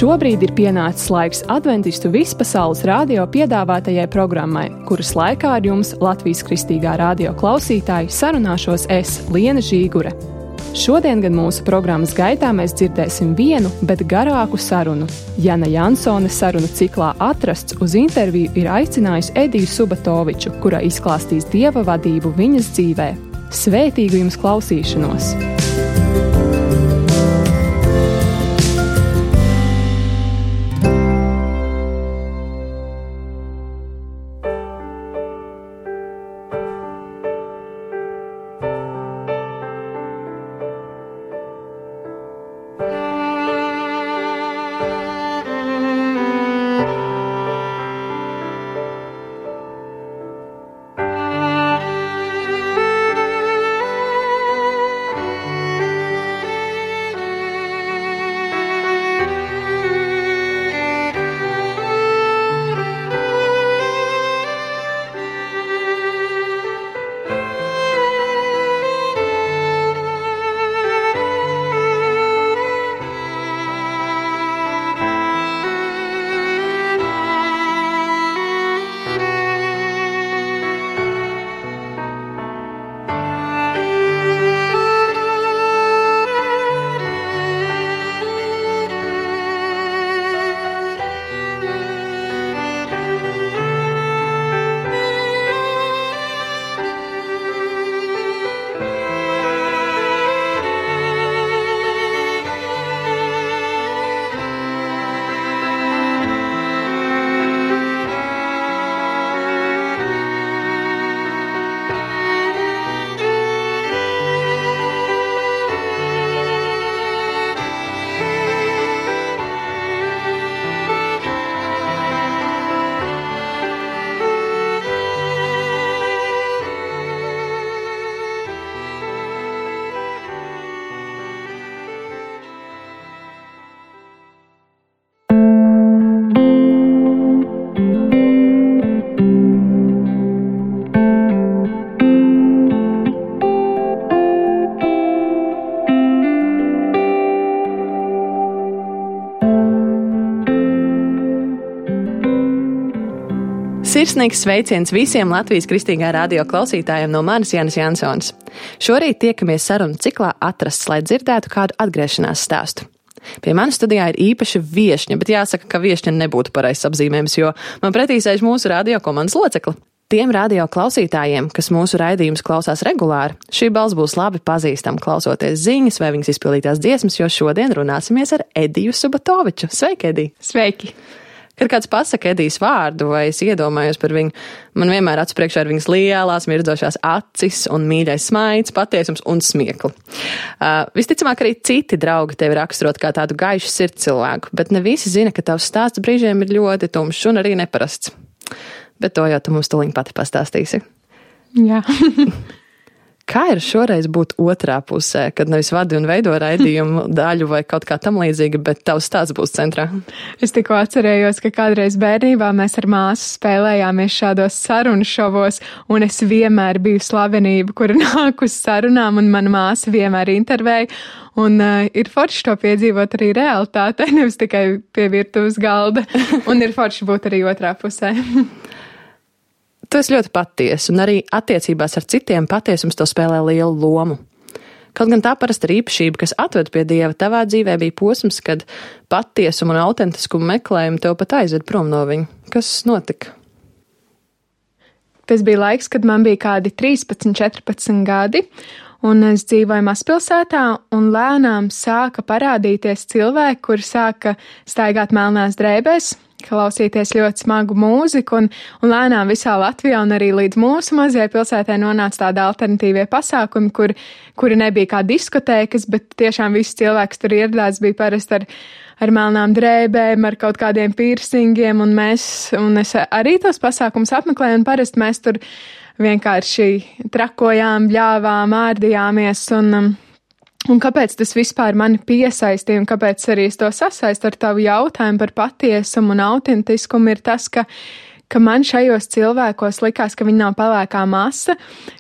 Šobrīd ir pienācis laiks Adventistu vispasaules radio piedāvātajai programmai, kuras laikā ar jums Latvijas Kristīgā radio klausītāji sarunāšos es, Liena Žīgure. Šodien gan mūsu programmas gaitā mēs dzirdēsim vienu, bet garāku sarunu. Jana Jansone sarunu ciklā Atrasts uz interviju ir aicinājusi Ediju Subatoviču, kura izklāstīs Dieva vadību viņas dzīvē. Svētīgu jums klausīšanos! Sirsnīgs sveiciens visiem Latvijas Kristīgā radio klausītājiem no manis Janas Jansonas. Šorīt tiekamies sarunu ciklā Atrasts, lai dzirdētu kādu atgriešanās stāstu. Pie manas studijā ir īpaša viešņa, bet jāsaka, ka viešņa nebūtu pareizs apzīmējums, jo man pretī sēž mūsu radio komandas locekli. Tiem radio klausītājiem, kas mūsu raidījumus klausās regulāri, šī balss būs labi pazīstama klausoties ziņas vai viņas izpildītās dziesmas, jo šodien runāsimies ar Ediju Subatoviču. Sveiki, Edija! Sveiki! Kad kāds pasaka Edijas vārdu vai es iedomājos par viņu, man vienmēr acu priekšā ir viņas lielās, mirdzošās acis un mīļais smaids, patiesums un smiekli. Visticamāk arī citi draugi tevi raksturot kā tādu gaišu sirds cilvēku, bet ne visi zina, ka tavs stāsts brīžiem ir ļoti tumšs un arī neparasts. Bet to jau tu mums tuliņ pati pastāstīsi. Jā. Kā ir šoreiz būt otrā pusē, kad nevis vadi un veido raidījumu daļu vai kaut kā tam līdzīga, bet tavs stāsts būs centrā? Es tikko atcerējos, ka kādreiz bērnībā mēs ar māsu spēlējāmies šādos sarunu šovos, un es vienmēr biju slavenība, kura nāk uz sarunām, un mana māsa vienmēr intervēja, un ir forši to piedzīvot arī realitātē, nevis tikai pie virtuves galda, un ir forši būt arī otrā pusē. Tu esi ļoti patiesa, un arī attiecībās ar citiem patiesums to spēlē lielu lomu. Kaut gan tā parasti ir īpašība, kas atved pie Dieva, tavā dzīvē bija posms, kad patiesumu un autentiskumu meklējumu tev pat aizved prom no viņa. Kas notika? Tas bija laiks, kad man bija kādi 13, 14 gadi, un es dzīvoju mazpilsētā, un lēnām sāka parādīties cilvēki, kuri sāka staigāt melnās drēbēs, klausīties ļoti smagu mūziku, un lēnām visā Latvijā un arī līdz mūsu mazajai pilsētai nonāca tādi alternatīvie pasākumi, kuri nebija kā diskotēkas, bet tiešām visi cilvēki tur ieradās bija parasti ar melnām drēbēm, ar kaut kādiem piercingiem, un es arī tos pasākumus apmeklēju, un parasti mēs tur vienkārši trakojām, bļāvām, ārdījāmies, un kāpēc tas vispār mani piesaistīja, un kāpēc arī es to sasaistu ar tavu jautājumu par patiesumu un autentiskumu, ir tas, ka ka man šajos cilvēkos likās, ka viņi nav pelēkā masa,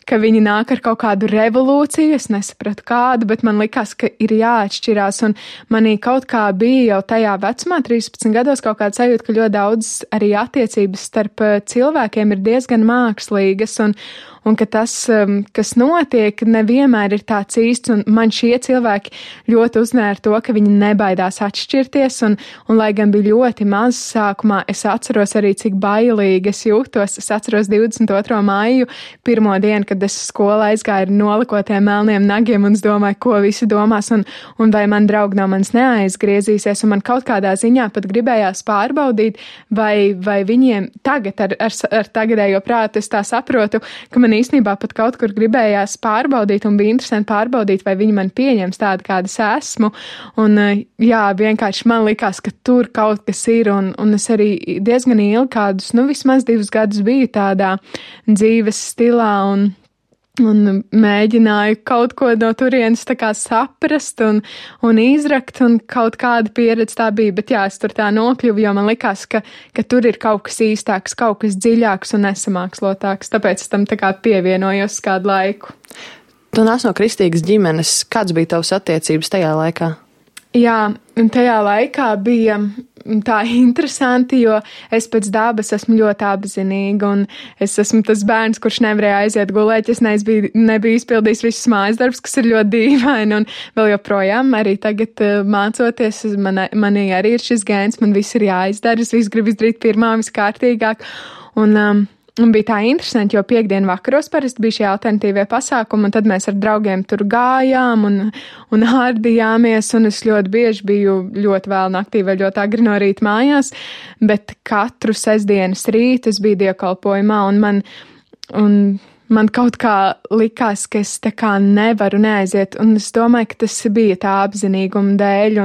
ka viņi nāk ar kaut kādu revolūciju, es nesapratu kādu, bet man likās, ka ir jāatšķirās, un manī kaut kā bija jau tajā vecumā, 13 gados, kaut kāda sajūta, ka ļoti daudz arī attiecības starp cilvēkiem ir diezgan mākslīgas, un ka tas, kas notiek, nevienmēr ir tāds īsts, un man šie cilvēki ļoti uzmēra to, ka viņi nebaidās atšķirties, un lai gan bija ļoti maz sākumā, es atceros arī, cik bailīgi es jūtos. Es atceros 22. maiju, pirmo dienu, kad es skolā aizgāju ar nolikotiem melniem nagiem, un es domāju, ko visi domās, un vai man draugi no manis neaizgriezīsies, un man kaut kādā ziņā pat gribējās pārbaudīt, vai viņiem tagad ar tagadējo prātu es tā saprotu, ka man īstenībā pat kaut kur gribējās pārbaudīt un bija interesanti pārbaudīt, vai viņi man pieņems tādu, kāda es esmu. Un jā, vienkārši man likās, ka tur kaut kas ir, un es arī diezgan ilgi kādus, vismaz 2 gadus biju tādā dzīves stilā un mēģināju kaut ko no turienes tā kā saprast un izrakt, un kaut kāda pieredze tā bija, bet jā, es tur tā nokļuvu, jo man likās, ka tur ir kaut kas īstāks, kaut kas dziļāks un nesamākslotāks, tāpēc es tam tā kā pievienojos kādu laiku. Tu nāc no kristīgas ģimenes, kāds bija tavs attiecības tajā laikā? Jā, un tajā laikā bija tā interesanti, jo es pēc dabas esmu ļoti apzinīga, un es esmu tas bērns, kurš nevarēja aiziet gulēt, es nebiju izpildījis visus mājas darbus, kas ir ļoti dīvaini, un vēl joprojām arī tagad mācoties, manī arī ir šis gēns, man viss ir jāizdara, es visu gribu izdarīt pirmā, viskārtīgāk, un bija tā interesanti, jo piekdienu vakaros parasti bija šie alternatīvie pasākumi, un tad mēs ar draugiem tur gājām un ārdījāmies, un es ļoti bieži biju ļoti vēl naktī vai ļoti agri no rīta mājās, bet katru sestdienas rītu es biju dievkalpojumā, un man kaut kā likās, ka es tā kā nevaru neaiziet, un es domāju, ka tas bija tā apzinīguma dēļ,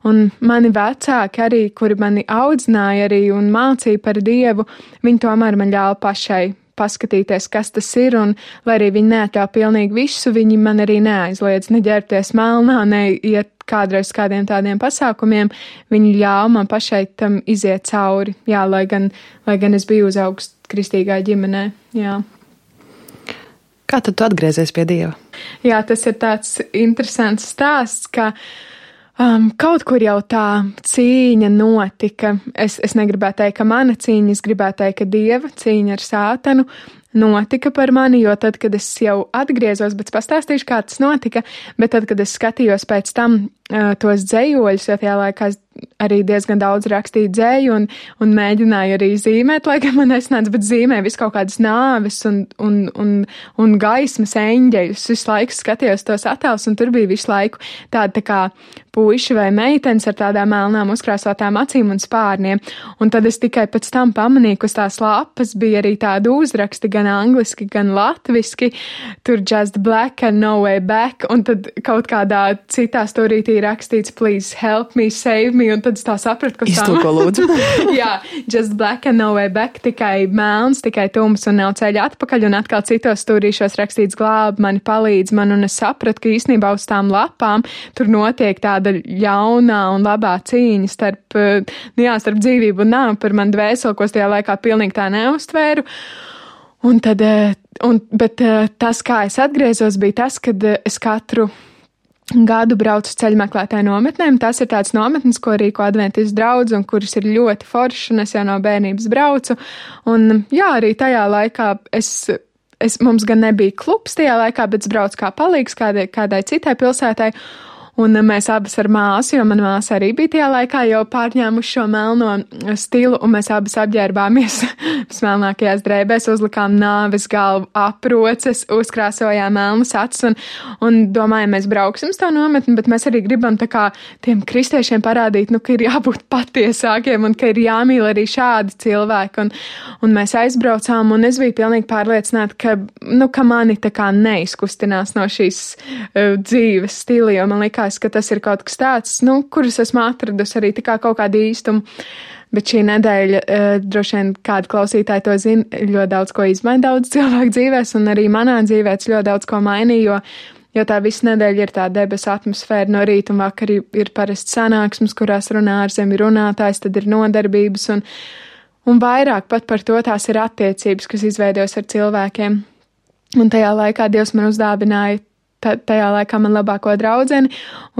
un mani vecāki arī, kuri mani audzināja arī un mācīja par Dievu, viņi tomēr man ļāva pašai paskatīties, kas tas ir, un lai arī viņi neatļauj pilnīgi visu, viņi man arī neaizliedz neģērbties melnā, neiet kādreiz kādiem tādiem pasākumiem, viņi ļāva man pašai tam iziet cauri, jā, lai gan es biju uzaugs kristīgā ģimenē, jā. Kā tad tu atgriezies pie Dieva? Jā, tas ir tāds interesants stāsts, ka kaut kur jau tā cīņa notika. Es negribētu teikt, ka mana cīņa, es gribētu teikt, ka Dieva cīņa ar Sātanu notika par mani, jo tad, kad es jau atgriezos, bet pastāstīšu, kā tas notika, bet tad, kad es skatījos pēc tam tos dzējoļus, jo tajā laikā arī diezgan daudz rakstīju dzēju un mēģināju arī zīmēt, lai gan man nesnāca, bet zīmēju visu kaut kādas nāves un gaismas eņģeļus. Visu laiku skatījos tos attēlus, un tur bija visu laiku tāda tā kā puiši vai meitenes ar tādām melnām uzkrāsotām acīm un spārniem. Un tad es tikai pēc tam pamanīju, ka uz tās lapas bija arī tādi uzraksti, gan angliski, gan latviski, tur just black and no way back, un tad kaut kādā citā stūrītī rakstīts please help me, save me, un tad es tā sapratu, ka iztulko lūdzu. Jā, just black and no way back, tikai melns, tikai tums un nav ceļa atpakaļ, un atkal citos stūrīšos rakstīts glāb mani, palīdz man, un es sapratu, ka īstenībā uz tām lapām tur notiek tāda ļaunā un labā cīņa starp dzīvību un nāvi par manu dvēseli, ko es tajā laikā pilnīgi tā neuztvēru. Bet tas, kā es atgriezos, bija tas, kad es katru gadu braucu uz ceļmeklētāju nometnēm. Tas ir tāds nometnes, ko rīko adventistu draudz un kuras ir ļoti foršas, un es jau no bērnības braucu. Un jā, arī tajā laikā mums gan nebija klubs tajā laikā, bet es braucu kā palīgs kādai citai pilsētai. Un mēs abas ar māsu, jo mana māsa arī bija tajā laikā jau pārņēmuši šo melno stilu, un mēs abas apģērbāmies smelnākajās drēbēs, uzlikām nāves galvu aproces, uzkrāsojām melnas acis un domājam, mēs brauksim uz to nometni, bet mēs arī gribam tā kā tiem kristiešiem parādīt, ka ir jābūt patiesākiem un ka ir jāmīl arī šādi cilvēki. Un mēs aizbraucām, un es biju pilnīgi pārliecināta, ka mani tā kā neizkustinās no šīs dzīves stila, jo man likās, ka tas ir kaut kas tāds, kurus esmu atradusi arī tā kā kaut kādu īstumu. Bet šī nedēļa, droši vien kādi klausītāji to zina, ļoti daudz ko izmaina daudz cilvēku dzīvēs, un arī manā dzīvē ļoti daudz ko mainīja, jo tā visa nedēļa ir tā debesu atmosfēra no rīta un vakar ir parasti sanāksmes, kurās runā ārzemju runātājs, tad ir nodarbības, Un vairāk pat par to tās ir attiecības, kas izveidojas ar cilvēkiem. Un tajā laikā Dievs man uzdāvināja tajā laikā man labāko draudzeni,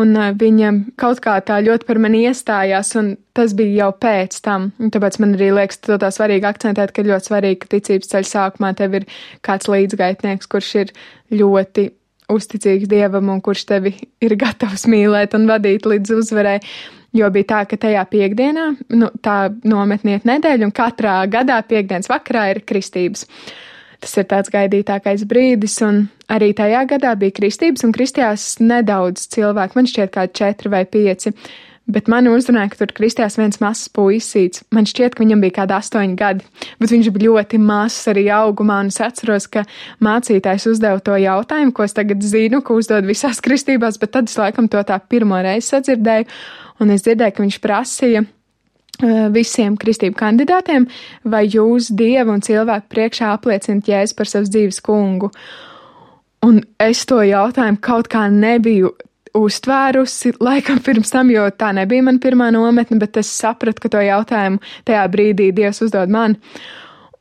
un viņa kaut kā tā ļoti par mani iestājās, un tas bija jau pēc tam. Un tāpēc man arī liekas, to tā svarīgi akcentēt, ka ļoti svarīgi, ka ticības ceļa sākumā tev ir kāds līdzgaitnieks, kurš ir ļoti uzticīgs Dievam un kurš tevi ir gatavs mīlēt un vadīt līdz uzvarai. Jo bija tā, ka tajā piekdienā, tā nometniet nedēļa, un katrā gadā piekdienas vakarā ir kristības. Tas ir tāds gaidītākais brīdis, un arī tajā gadā bija kristības, un kristījās nedaudz cilvēku, man šķiet kā 4 vai 5, bet mani uzrunāja, ka tur kristījās viens mazs puisīts. Man šķiet, ka viņam bija kādi 8 gadi, bet viņš bija ļoti mazs arī augumā, un es atceros, ka mācītājs uzdeva to jautājumu, ko es tagad zinu, ka uzdod visās kristībās, bet tad es laikam to tā pirmo reizi sadzirdēju, un es dzirdēju, ka viņš prasīja visiem kristību kandidātiem, vai jūs Dievu un cilvēku priekšā apliecināt Jēzu par savas dzīves kungu. Un es to jautājumu kaut kā nebiju uztvērusi, laikam pirms tam, jo tā nebija man pirmā nometne, bet es sapratu, ka to jautājumu tajā brīdī Dievs uzdod man.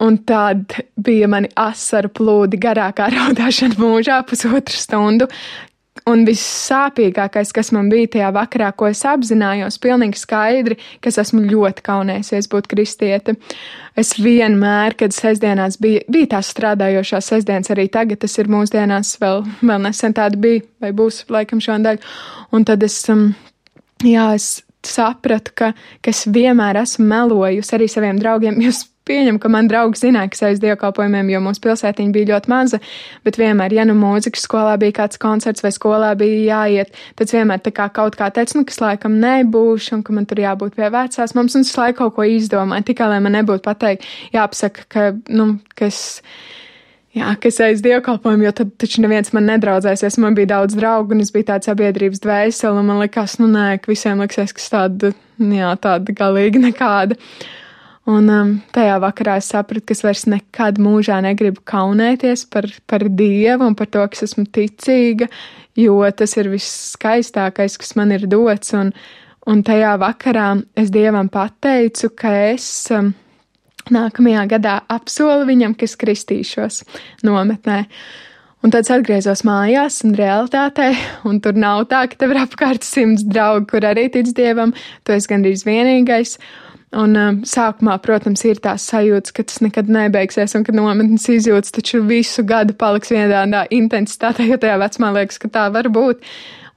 Un tad bija mani asaru plūdi garākā raudāšana mūžā 1,5 stundu. Un vissāpīgākais, kas man bija tajā vakarā, ko es apzinājos pilnīgi skaidri, ka es esmu ļoti kaunējusies būt kristiete. Es vienmēr, kad sestdienās bija tās strādājošās sestdienas, arī tagad tas ir mūsdienās, vēl nesen tāda bija, vai būs laikam šondaļ. Un tad es sapratu, ka es vienmēr esmu melojusi arī saviem draugiem. Jūs pieņem, ka man draugi zināja, ka es aiz dievkalpojumiem, jo mūsu pilsētiņa bija ļoti maza, bet vienmēr, ja mūzikas skolā bija kāds koncerts vai skolā bija jāiet, tad vienmēr tā kā kaut kā teica, ka es laikam nebūšu un ka man tur jābūt pie vecās mums, un es laiku kaut ko izdomāju, tikai lai man nebūtu pateikt, jāpasaka, ka es aiz dievkalpojumu, jo tad taču neviens man nedraudzēsies, man bija daudz draugu, un es biju tāda sabiedrības dvēsele, un man likās, ka visiem liksies, ka es tāda galīgi nekāda. Un tajā vakarā es sapratu, ka es vairs nekad mūžā negribu kaunēties par Dievu un par to, ka es esmu ticīga, jo tas ir viss skaistākais, kas man ir dots. Un tajā vakarā es Dievam pateicu, ka es nākamajā gadā apsolu viņam, ka es kristīšos nometnē. Un tad es atgriezos mājās un realitātē, un tur nav tā, ka tev ir apkārt 100 draugi, kur arī tic Dievam, tu esi gandrīz vienīgais. Un sākumā, protams, ir tās sajūtas, ka tas nekad nebeigsies un ka nometnes izjūtas taču visu gadu paliks vienādā intensitātē, jo tajā vecumā liekas, ka tā var būt.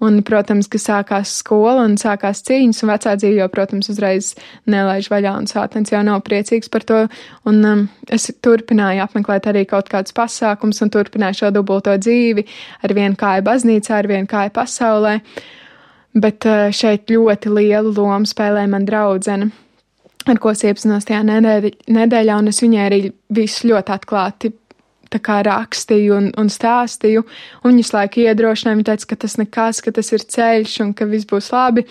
Un, protams, ka sākās skola un sākās cīņas, un vecā dzīve jau, protams, uzreiz nelaiž vaļā, un sātens jau nav priecīgs par to. Un es turpināju apmeklēt arī kaut kādus pasākums un turpināju šo dubulto dzīvi ar vienu kāju baznīcā, ar vienu kāju pasaulē. Bet šeit ļoti lielu lomu spēlē man draudzene, ar ko es iepazinos tajā nedēļā, un es viņai arī visu ļoti atklāti tā kā rakstīju un stāstīju, un viņas laiku iedrošināja, viņa teica, ka tas nekas, ka tas ir ceļš un ka viss būs labi,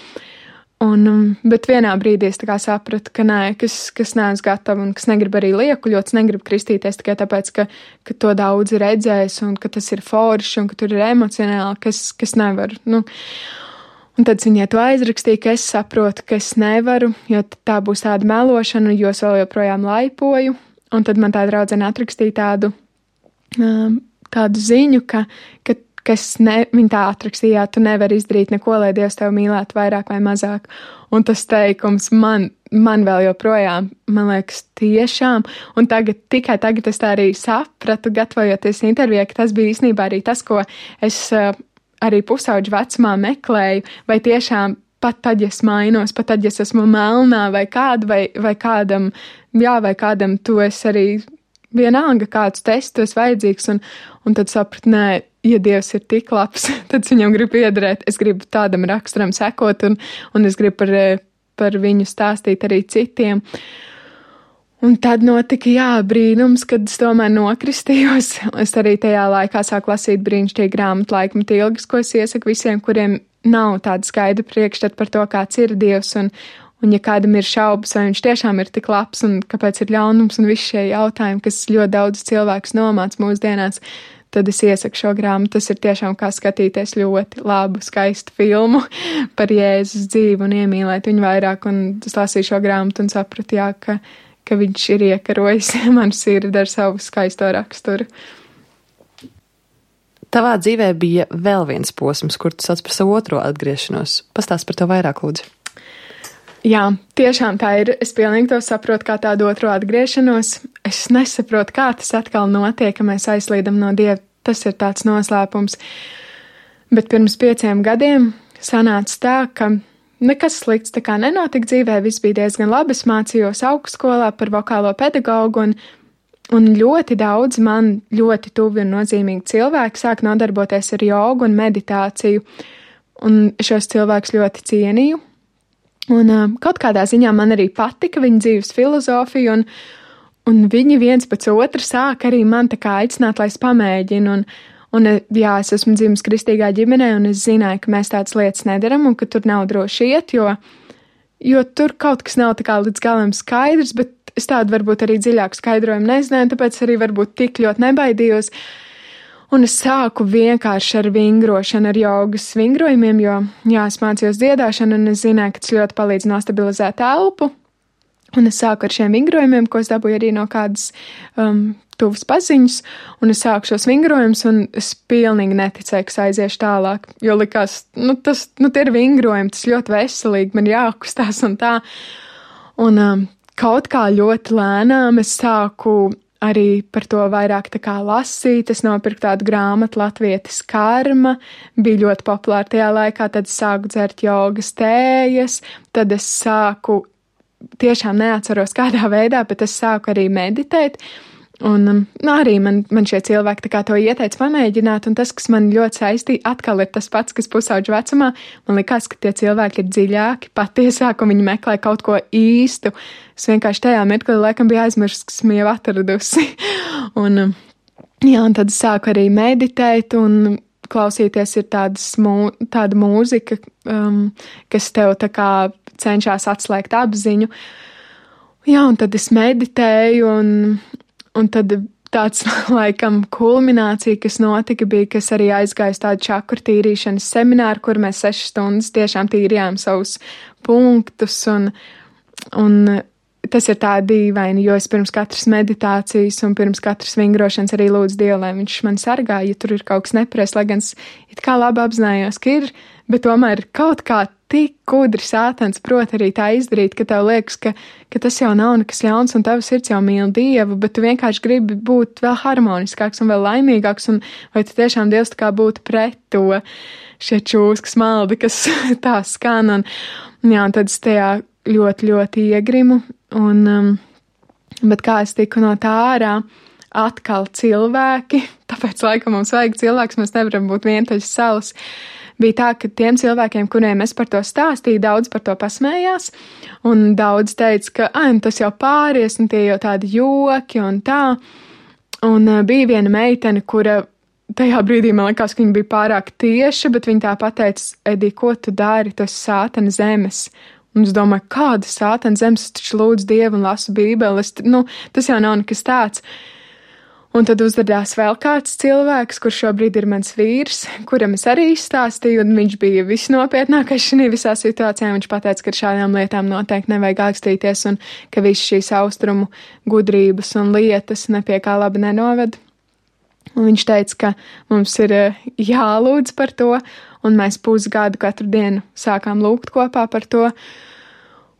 bet vienā brīdī es tā kā sapratu, ka nē, kas neesmu gatava un kas negrib arī liekuļot, negrib kristīties tikai tāpēc, ka to daudzi redzēs un ka tas ir forši un ka tur ir emocionāli, kas nevar, Un tad viņai to aizrakstīja, ka es saprotu, ka es nevaru, jo tā būs tāda melošana, jo es vēl joprojām laipoju. Un tad man tā draudzene atrakstīja tādu ziņu, ka viņa tā atrakstīja, tu nevari izdarīt neko, lai Dievs tevi mīlētu vairāk vai mazāk. Un tas teikums man vēl joprojām, man liekas, tiešām. Un tikai tagad es tā arī sapratu, gatavojoties intervijai, ka tas bija īstenībā arī tas, ko es arī pusauģu vecumā meklēju, vai tiešām pat tad, ja es mainos, pat tad, ja es esmu melnā vai kāda, vai kādam, vai kādam tu esi arī vienalga, kādus testus esi vajadzīgs, un tad sapratu, nē, ja Dievs ir tik labs, tad viņam grib iederēt, es gribu tādam raksturam sekot, un es gribu par viņu stāstīt arī citiem. Un tad notika, brīnums, kad es tomēr nokristījos. Es arī tajā laikā sāku lasīt brīnišķīgu grāmatu Laikmeta ilgas, ko es iesaku visiem, kuriem nav tāda skaidra priekšstata par to, kāds ir Dievs, un ja kādam ir šaubas, vai viņš tiešām ir tik labs, un kāpēc ir ļaunums, un visi šie jautājumi, kas ļoti daudz cilvēkus nomāc mūsdienās, tad es iesaku šo grāmatu. Tas ir tiešām kā skatīties ļoti labu, skaistu filmu par Jēzus dzīvi un iemīlēt viņu vairāk, un es lasīju šo grāmatu un sapratu, ka viņš ir iekarojis manu sirdi ar savu skaisto raksturu. Tavā dzīvē bija vēl viens posms, kur tu sauc par savu otro atgriešanos. Pastāst par to vairāk, lūdzu. Jā, tiešām tā ir. Es pilnīgi to saprotu kā tādu otro atgriešanos. Es nesaprotu, kā tas atkal notiek, ka mēs aizslīdam no Dieva. Tas ir tāds noslēpums. Bet pirms 5 gadiem sanāca tā, ka nekas slikts tā kā nenotika dzīvē. Viss bija diezgan labi. Es mācījos augstskolā par vokālo pedagogu un ļoti daudz man ļoti tuvi un nozīmīgi cilvēki sāk nodarboties ar jogu un meditāciju. Un šos cilvēkus ļoti cienīju. Un kaut kādā ziņā man arī patika viņa dzīves filozofija, un viņi viens pēc otra sāk arī man tā kā aicināt, lai es pamēģinu. Un jā, es esmu dzimis kristīgā ģimenē, un es zināju, ka mēs tādas lietas nedaram, un ka tur nav droši iet, jo tur kaut kas nav tā kā līdz galam skaidrs, bet es tādu varbūt arī dziļāku skaidrojumu nezināju, tāpēc arī varbūt tik ļoti nebaidījos. Un es sāku vienkārši ar vingrošanu, ar jogas vingrojumiem, jo, jā, es mācījos dziedāšanu, un es zināju, ka tas ļoti palīdz nostabilizēt elpu. Un es sāku ar šiem vingrojumiem, ko es dabūju arī no kādas tuvas paziņas, un es sāku šos vingrojumus, un es pilnīgi neticēju, ka aiziešu tālāk, jo likās, tie ir vingrojumi, tas ļoti veselīgi, man jākustās un tā. Un kaut kā ļoti lēnām es sāku arī par to vairāk tā kā lasīt. Es nopirku tādu grāmatu Latvietis karma, bija ļoti populāra tajā laikā, tad es sāku dzert jogas tējas, tad es sāku, tiešām neatceros kādā veidā, bet es sāku arī meditēt. Un arī man šie cilvēki tā kā to ieteica pamēģināt, un tas, kas man ļoti saistīja, atkal ir tas pats, kas pusauģu vecumā. Man likās, ka tie cilvēki ir dziļāki, patiesāk, un viņi meklē kaut ko īstu. Es vienkārši tajā mirklī laikam biju aizmirst, kas esmu jau atradusi. Un tad es sāku arī meditēt, un klausīties ir tāda mūzika, kas tev tā kā cenšas atslēgt apziņu. Jā, un tad es meditēju, un tad tāds, laikam, kulminācija, kas notika, bija, ka es arī aizgāju tādu čakru tīrīšanas semināru, kur mēs 6 stundas tiešām tīrījām savus punktus, un tas ir tā dīvaini, jo es pirms katras meditācijas un pirms katras vingrošanas arī lūdzu Dievu, lai viņš man sargā, ja tur ir kaut kas nepareizs, lai gan es it kā labi apzinājos, ka ir, bet tomēr kaut kā tik gudri sātans prot arī tā izdarīt, ka tev liekas, ka tas jau nav nekas ļauns un tavs sirds jau mīl Dievu, bet tu vienkārši gribi būt vēl harmoniskāks un vēl laimīgāks, un vai tu tiešām Dievs tā kā būtu pret to šie čūskas maldi, kas tā skan, un tad es tajā ļoti, ļoti iegrimu, bet kā es tiku no tā ārā, atkal cilvēki, tāpēc laikam mums vajag cilvēks, mēs nevaram būt vientuļas salas. Bija tā, ka tiem cilvēkiem, kuriem es par to stāstīju, daudz par to pasmējās, un daudz teica, ka tas jau pāries, un tie jau tādi joki un tā. Un bija viena meitene, kura tajā brīdī man likās, ka viņa bija pārāk tieša, bet viņa tā pateica, Edi, ko tu dari, tu esi sātana zemes. Un es domāju, kāda sātana zemes, es taču lūdzu Dievu un lasu Bībeli, tas jau nav nekas tāds. Un tad uzradās vēl kāds cilvēks, kurš šobrīd ir mans vīrs, kuram es arī izstāstīju, un viņš bija visnopietnākais šajā visā situācijā. Viņš pateica, ka ar šādām lietām noteikti nevajag ākstīties, un ka visas šīs austrumu gudrības un lietas nepie kā labi nenoved. Un viņš teica, ka mums ir jālūdz par to, un mēs pusgadu katru dienu sākām lūgt kopā par to.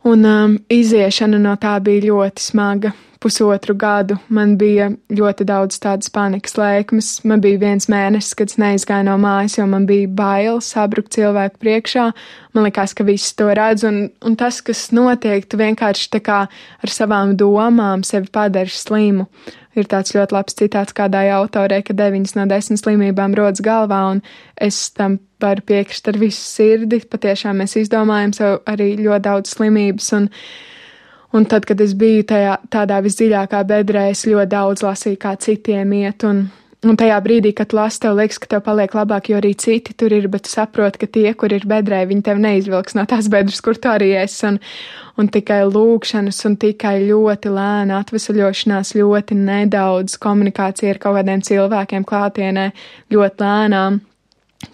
Un iziešana no tā bija ļoti smaga. 1,5 gadu man bija ļoti daudz tādas panikas lēkmes. Man bija 1 mēnesis, kad es neizgāju no mājas, jo man bija bail sabrukt cilvēku priekšā. Man likās, ka visi to redz, un tas, kas notiek, tu vienkārši tā kā ar savām domām sevi padari slimu. Ir tāds ļoti labs citāts kādai autorei, ka 9 no 10 slimībām rodas galvā, un es tam varu piekrist ar visu sirdi. Patiešām mēs izdomājam sev arī ļoti daudz slimības, un tad, kad es biju tādā visdziļākā bedrē, es ļoti daudz lasīju, kā citiem iet, un tajā brīdī, kad tu lasi, tev liekas, ka tev paliek labāk, jo arī citi tur ir, bet tu saproti, ka tie, kur ir bedrē, viņi tev neizvilks no tās bedres, kur tu arī esi, un tikai lūkšanas, un tikai ļoti lēna atvesaļošanās, ļoti nedaudz komunikācija ar kaut kādiem cilvēkiem klātienē, ļoti lēnām,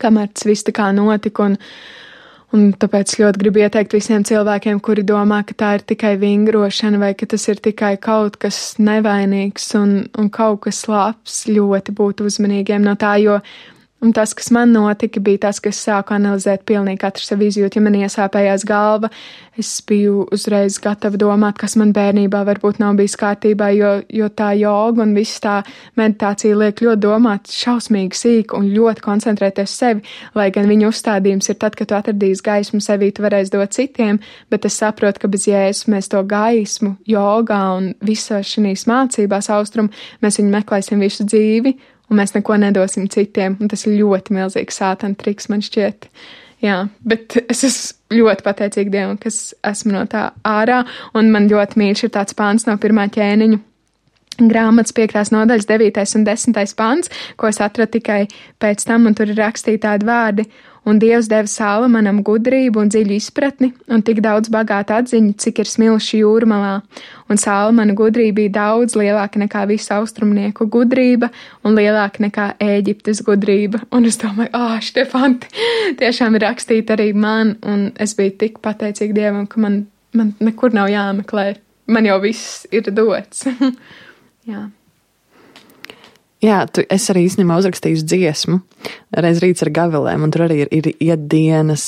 kamēr tas viss tā kā notika, Un tāpēc ļoti gribu ieteikt visiem cilvēkiem, kuri domā, ka tā ir tikai vingrošana vai ka tas ir tikai kaut kas nevainīgs un kaut kas labs, ļoti būt uzmanīgiem no tā, jo un tas, kas man notika, bija tas, ka es sāku analizēt pilnīgi katru savu izjūtu. Ja man iesāpējās galva, es biju uzreiz gatava domāt, kas man bērnībā varbūt nav bijis kārtībā, jo tā joga un viss tā meditācija liek ļoti domāt šausmīgi sīk un ļoti koncentrēties sevi, lai gan viņa uzstādījums ir tad, kad tu atradīsi gaismu sevī, tu varēsi dot citiem, bet es saprotu, ka bez Jēzus mēs to gaismu, jogā un visā šīs mācībās austrumu, mēs viņu meklēsim visu dzīvi, un mēs neko nedosim citiem, un tas ir ļoti milzīgs sātana triks, man šķiet. Jā, bet es esmu ļoti pateicīga Dievam, kas esmu no tā ārā, un man ļoti mīļš ir tāds pāns no 1. ķēniņu grāmatas 5. nodaļas 9. un 10. pāns, ko es atradu tikai pēc tam, un tur ir rakstīti tādi vārdi. Un Dievs deva Salomonam gudrību un dziļu izpratni, un tik daudz bagātu atziņu, cik ir smilši jūrmalā. Un Salomona gudrība bija daudz lielāka nekā visu austrumnieku gudrība un lielāka nekā Ēģiptes gudrība. Un es domāju, šitie fanti tiešām ir rakstīti arī man, un es biju tik pateicīga Dievam, ka man nekur nav jāmeklē. Man jau viss ir dots. Jā. Jā, es arī īstenībā uzrakstīju dziesmu, reiz rīts ar gavilēm, un tur arī ir iedienas,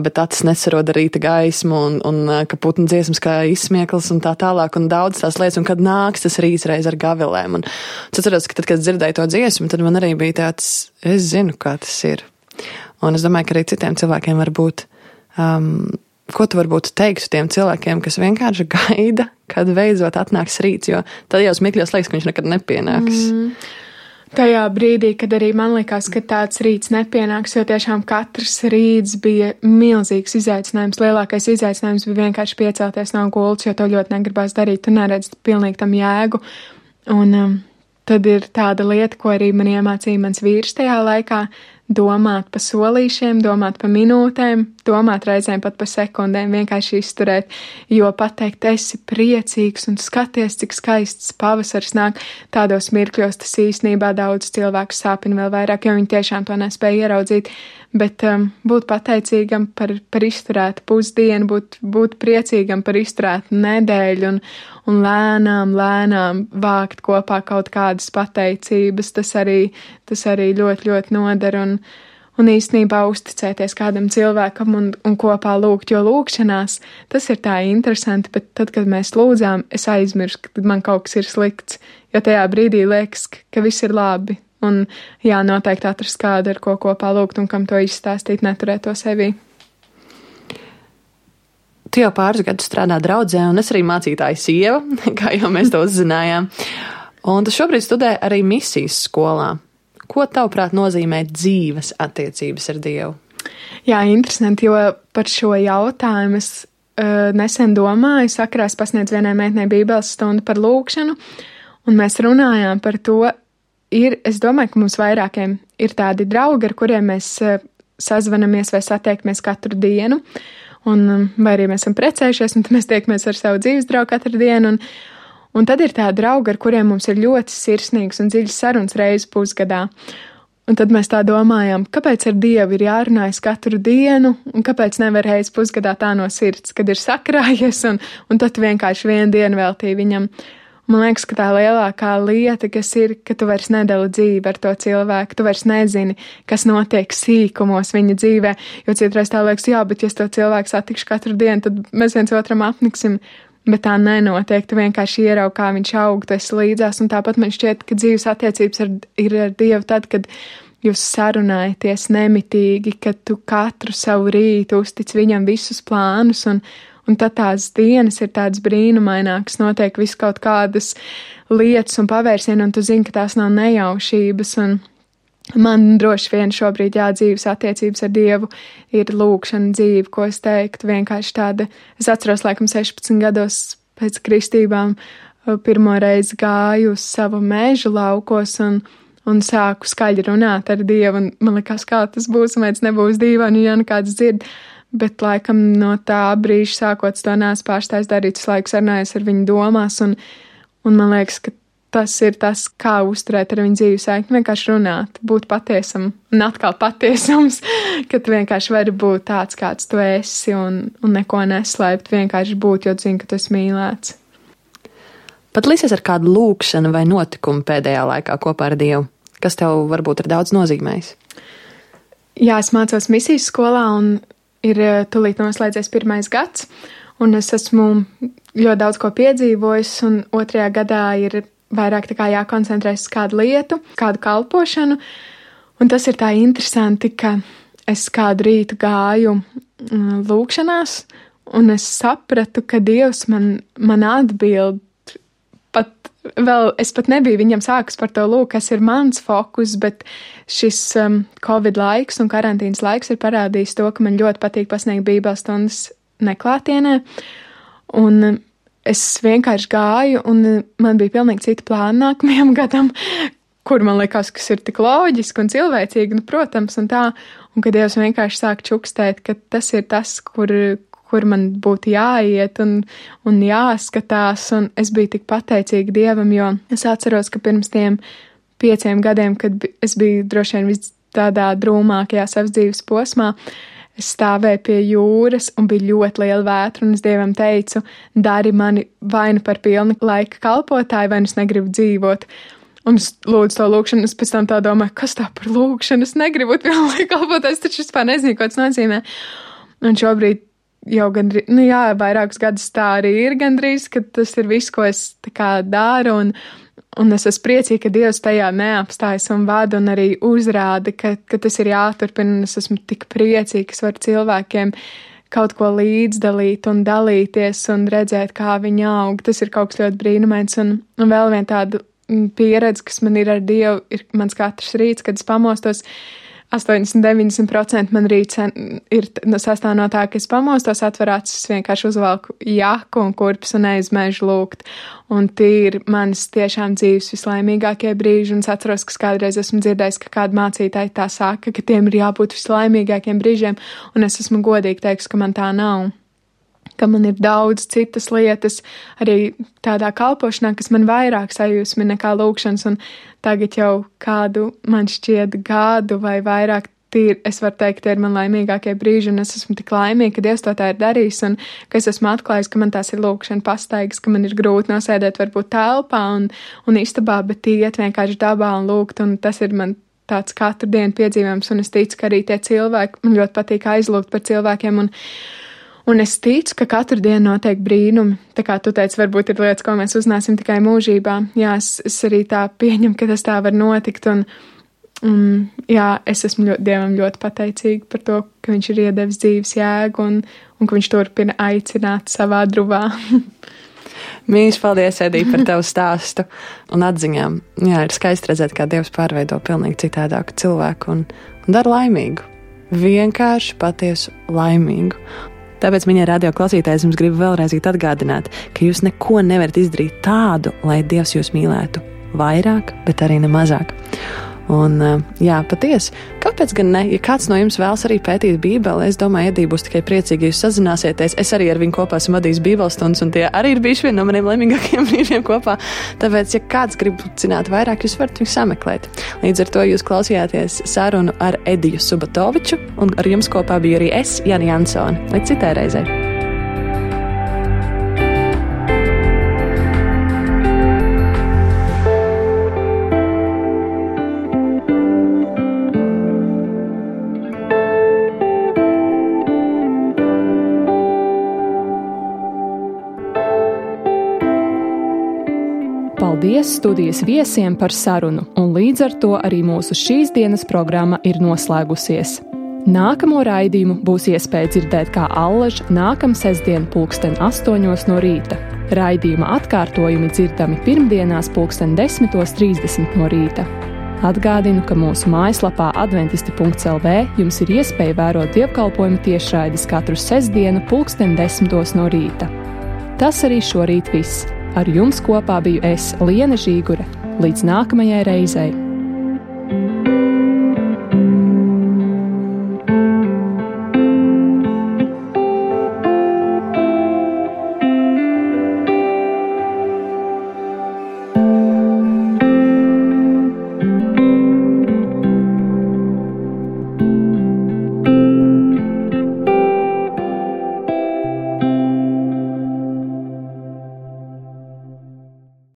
bet acis nesaroda rīta gaismu, un ka putnu dziesmas kā izsmieklis un tā tālāk, un daudz tās lietas, un kad nāks tas rīts reiz ar gavilēm. Un es atceros, ka tad, kad dzirdēju to dziesmu, tad man arī bija tāds, es zinu, kā tas ir. Un es domāju, ka arī citiem cilvēkiem var būt, ko tu varbūt teiktu tiem cilvēkiem, kas vienkārši gaida, kad beidzot atnāks rīts, jo tad jau smikļos liekas, ka viņš nekad nepienāks. Tajā brīdī, kad arī man likās, ka tāds rīts nepienāks, jo tiešām katrs rīts bija milzīgs izaicinājums. Lielākais izaicinājums bija vienkārši piecelties no gultas, jo to ļoti negribās darīt, tu neredz pilnīgi tam jēgu. Un tad ir tāda lieta, ko arī man iemācīja mans vīrs tajā laikā, domāt pa solīšiem, domāt pa minūtēm, domāt reizēm pat pa sekundēm, vienkārši izturēt, jo pateikt, esi priecīgs un skaties, cik skaists pavasars nāk, tādos mirkļos tas īstenībā daudz cilvēku sāpina vēl vairāk, jo viņi tiešām to nespēja ieraudzīt, bet būt pateicīgam par izturētu pusdienu, būt priecīgam par izturētu nedēļu un lēnām vākt kopā kaut kādas pateicības, tas arī ļoti, ļoti noder un īstenībā uzticēties kādam cilvēkam un kopā lūgt, jo lūgšanās tas ir tā interesanti, bet tad, kad mēs lūdzām, es aizmirstu, ka man kaut kas ir slikts, jo tajā brīdī liekas, ka viss ir labi. Un jā, noteikti atrast kādu, ar ko kopā lūgt un kam to izstāstīt, neturēt to sevī. Tu jau pāris gadus strādā draudzē, un es arī mācītāja sieva, kā jau mēs to uzzinājām. Un tu šobrīd studē arī misijas skolā. Ko tavuprāt nozīmē dzīves attiecības ar Dievu? Jā, interesanti, jo par šo jautājumu es nesen domāju, sakarā es pasniedzu vienai meitnei bībeles stundu par lūgšanu, un mēs runājām par to. Es domāju, ka mums vairākiem ir tādi draugi, ar kuriem mēs sazvanamies vai satiekamies katru dienu, vai arī mēs esam precējušies, un tad mēs tiekamies ar savu dzīves draugu katru dienu, un tad ir tādi draugi, ar kuriem mums ir ļoti sirsnīgs un dziļs sarunas reizi pusgadā. Un tad mēs tā domājām, kāpēc ar Dievu ir jārunājas katru dienu, un kāpēc nevar reizi pusgadā tā no sirds, kad ir sakrājies, un tad vienkārši vienu dienu veltīja viņam. Man liekas, ka tā lielākā lieta, kas ir, ka tu vairs nedali dzīvi ar to cilvēku, tu vairs nezini, kas notiek sīkumos viņa dzīvē, jo citreiz tā liekas, jā, bet ja es to cilvēku satikšu katru dienu, tad mēs viens otram apniksim, bet tā nenotiek, tu vienkārši ieraugi, kā viņš aug, tu esi līdzās, un tāpat man šķiet, ka dzīves attiecības ir ar Dievu tad, kad jūs sarunājaties nemitīgi, kad tu katru savu rītu uztic viņam visus plānus, un tad tās dienas ir tādas brīnumainākas, notiek visu kaut kādas lietas un pavērsieni, un tu zini, ka tās nav nejaušības, un man droši vien šobrīd dzīves attiecības ar Dievu ir lūgšana dzīve, ko es teiktu, vienkārši tāda. Es atceros, laikam 16 gados pēc kristībām pirmo reizi gāju uz savu mežu laukos un sāku skaļi runāt ar Dievu, un man likās, kā tas būs, un vai tas nebūs dīvaini, ja nekāds dzird. Bet laikam no tā brīža sākot to neesmu pārstājis darīt, visu laiku sarunājos ar viņu domās, un man liekas, ka tas ir tas, kā uzturēt ar viņu dzīves saikni, vienkārši runāt, būt patiesam, un atkal patiesums, ka tu vienkārši vari būt tāds, kāds tu esi, un neko neslēpt, vienkārši būt, jo zini, ka tu esi mīlēts. Pat līdzies ar kādu lūkšanu vai notikumu pēdējā laikā kopā ar Dievu, kas tev varbūt ir daudz nozīmējis? Jā, es mācos misijas skolā, un ir tūlīt noslēdzies 1. gads, un es esmu ļoti daudz ko piedzīvojis, un 2. gadā ir vairāk tā kā jākoncentrēs uz kādu lietu, kādu kalpošanu, un tas ir tā interesanti, ka es kādu rītu gāju lūkšanās, un es sapratu, ka Dievs man atbild, es pat nebiju viņam sākus par to lūk, kas ir mans fokus, bet šis Covid laiks un karantīnas laiks ir parādījis to, ka man ļoti patīk pasniegt bībeles stundas neklātienē, un es vienkārši gāju, un man bija pilnīgi cita plāna nākamajam gadam, kur man likās, kas ir tik loģiski un cilvēcīgi, protams, un tā, un kad Dievs vienkārši sāk čukstēt, ka tas ir tas, kur man būtu jāiet un jāskatās, un es biju tik pateicīga Dievam, jo es atceros, ka pirms tiem 5 gadiem, kad es biju droši vien tādā drūmākajā savas dzīves posmā, es stāvēju pie jūras un bija ļoti liela vētra, un es Dievam teicu, dari mani vai nu par pilnu laika kalpotāju, vai nu es negribu dzīvot. Un es lūdzu to lūkšanu, es pēc tam tā domāju, kas tā par lūkšanu, es negribu būt pilnu laika kalpotājs, taču vispār nezinu, ko tas nozīmē. Un šobrīd jau gandrīz, vairākus gadus tā arī ir gandrīz, ka tas ir viss, ko es tā kā daru, un es esmu priecīga, ka Dievs tajā neapstājas un vada un arī uzrāda, ka tas ir jāturpina, un es esmu tik priecīga, ka es varu cilvēkiem kaut ko līdzdalīt un dalīties un redzēt, kā viņi aug. Tas ir kaut kas ļoti brīnumains, un vēl viena tāda pieredze, kas man ir ar Dievu, ir mans katrs rīts, kad es pamostos. 80-90% man rīts ir sastāv no tā, ka es pamostos, atver acis, vienkārši uzvalku jaku un kurpes un eju uz mežu lūgt. Un tie ir manas tiešām dzīves vislaimīgākie brīži, un es atceros, ka kādreiz esmu dzirdējis, ka kāda mācītāja tā saka, ka tiem ir jābūt vislaimīgākiem brīžiem, un es esmu godīgi teiks, ka man tā nav. Ka man ir daudz citas lietas, arī tādā kalpošanā, kas man vairāk sajūsmi nekā lūkšanas, un tagad jau kādu, man šķiet, gadu vai vairāk es varu teikt, tie ir man laimīgākie brīži, un es esmu tik laimīga, ka Dievs to tā ir darījis, un ka es esmu atklājis, ka man tās ir lūkšana pastaigas, ka man ir grūti nosēdēt varbūt telpā un istabā, bet iet vienkārši dabā un lūgt, un tas ir man tāds katru dienu piedzīvojums, un es ticu, ka arī tie cilvēki, man ļoti patīk aizlūgt par cilvēkiem, un es ticu, ka katru dienu notiek brīnumi. Tā kā tu teici, varbūt ir lietas, ko mēs uzzināsim tikai mūžībā. Jā, es arī tā pieņemu, ka tas tā var notikt. Un jā, es esmu Dievam ļoti pateicīga par to, ka viņš ir iedevis dzīves jēgu un ka viņš turpina aicināt savā druvā. Mīļš, paldies, Edija, par tavu stāstu un atziņām. Jā, ir skaisti redzēt, kā Dievs pārveido pilnīgi citādāku cilvēku un dara laimīgu. Vienkārši patiesu laimīgu. Tāpēc, mīļie radio klausītāji, jums gribu vēlreiz atgādināt, ka jūs neko nevarat izdarīt tādu, lai Dievs jūs mīlētu vairāk, bet arī ne mazāk. Un, jā, patiesi, kāpēc gan ne? Ja kāds no jums vēlas arī pētīt Bībeli, es domāju, Edija būs tikai priecīgi, ja jūs sazināsieties. Es arī ar viņu kopā esmu vadījis Bībeles stundas, un tie arī ir bijuši vieni no maniem laimīgākajiem brīžiem kopā. Tāpēc, ja kāds grib zināt vairāk, jūs varat viņu sameklēt. Līdz ar to jūs klausījāties sarunu ar Ediju Subatoviču, un ar jums kopā biju arī es, Jana Jansone. Līdz citai reizei. Paldies studijas viesiem par sarunu, un līdz ar to arī mūsu šīs dienas programma ir noslēgusies. Nākamo raidījumu būs iespēja dzirdēt kā allaž nākam sestdien 8:00 no rīta. Raidījuma atkārtojumi dzirdami pirmdienās 10:30 no rīta. Atgādinu, ka mūsu mājaslapā adventisti.lv jums ir iespēja vērot dievkalpojumu tiešraides katru sestdienu 10:10 no rīta. Tas arī šorīt viss. Ar jums kopā biju es, Liene Žīgure. Līdz nākamajai reizei!